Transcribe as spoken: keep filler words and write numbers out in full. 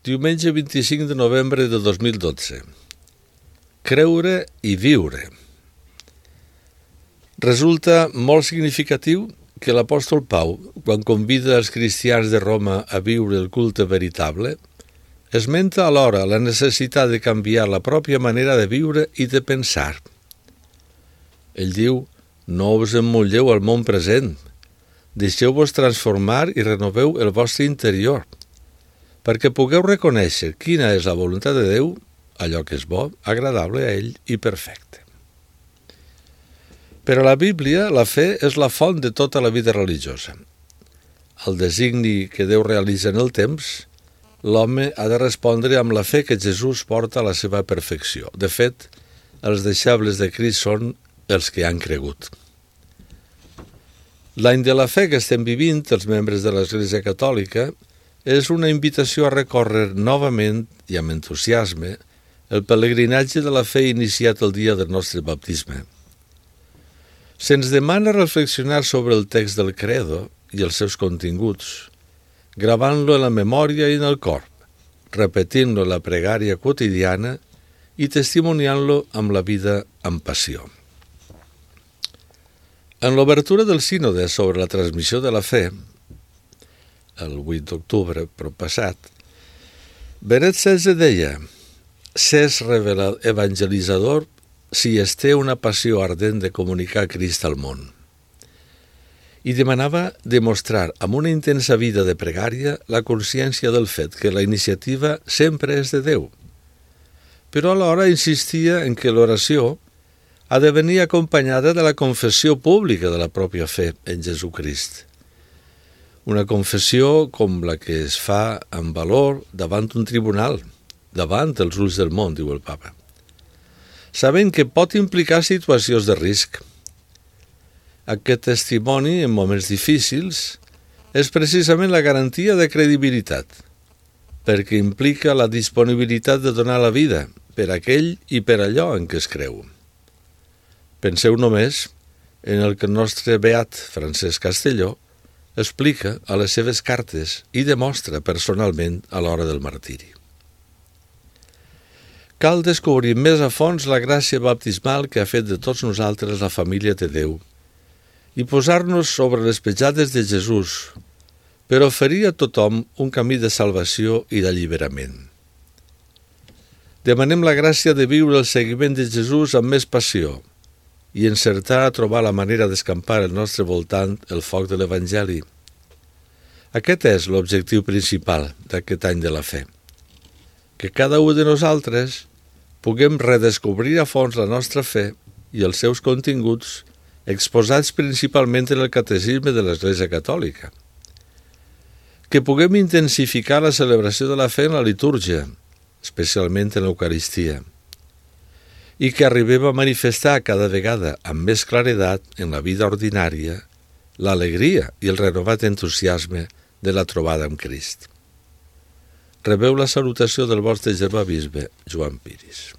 Diumenge vint-i-cinc de novembre de dos mil dotze. Creure i viure. Resulta molt significatiu que l'apòstol Pau, quan convida els cristians de Roma a viure el culte veritable, esmenta alhora la necessitat de canviar la pròpia manera de viure i de pensar. Ell diu: no us emmotlleu al món present, deixeu-vos transformar i renoveu el vostre interior, perquè pugueu reconèixer quina és la voluntat de Déu, allò que és bo, agradable a ell i perfecte. Per a la Bíblia, la fe és la font de tota la vida religiosa. Al designi que Déu realitza en el temps, l'home ha de respondre amb la fe que Jesús porta a la seva perfecció. De fet, els deixebles de Crist són els que han cregut. L'any de la fe que estem vivint, els membres de l'Església Catòlica, és una invitació a recórrer novament i amb entusiasme el pelegrinatge de la fe iniciat el dia del nostre baptisme. Se'ns demana reflexionar sobre el text del Credo i els seus continguts, gravant-lo en la memòria i en el cor, repetint-lo en la pregària quotidiana i testimoniant-lo amb la vida amb passió. En l'obertura del sínode sobre la transmissió de la fe, el vuit d'octubre proppassat, Benet setze deia: «S'és revelat evangelitzador si es té una passió ardent de comunicar Crist al món». I demanava demostrar amb una intensa vida de pregària la consciència del fet que la iniciativa sempre és de Déu, però alhora insistia en que l'oració ha de venir acompanyada de la confessió pública de la pròpia fe en Jesucrist. Una confessió com la que es fa amb valor davant un tribunal, davant els ulls del món, diu el Papa, sabent que pot implicar situacions de risc. Aquest testimoni, en moments difícils, és precisament la garantia de credibilitat, perquè implica la disponibilitat de donar la vida per aquell i per allò en què es creu. Penseu només en el que el nostre beat Francesc Castelló explica a les seves cartes i demostra personalment a l'hora del martiri. Cal descobrir més a fons la gràcia baptismal que ha fet de tots nosaltres la família de Déu i posar-nos sobre les petjades de Jesús per oferir a tothom un camí de salvació i d'alliberament. Demanem la gràcia de viure el seguiment de Jesús amb més passió i encertar a trobar la manera d'escampar al nostre voltant el foc de l'Evangeli. Aquest és l'objectiu principal d'aquest any de la fe, que cada un de nosaltres puguem redescobrir a fons la nostra fe i els seus continguts exposats principalment en el catecisme de l'Església Catòlica, que puguem intensificar la celebració de la fe en la litúrgia, especialment en l'Eucaristia, i que arribem a manifestar cada vegada amb més claredat en la vida ordinària l'alegria i el renovat entusiasme de la trobada amb Crist. Rebeu la salutació del vostre germà bisbe, Joan Piris.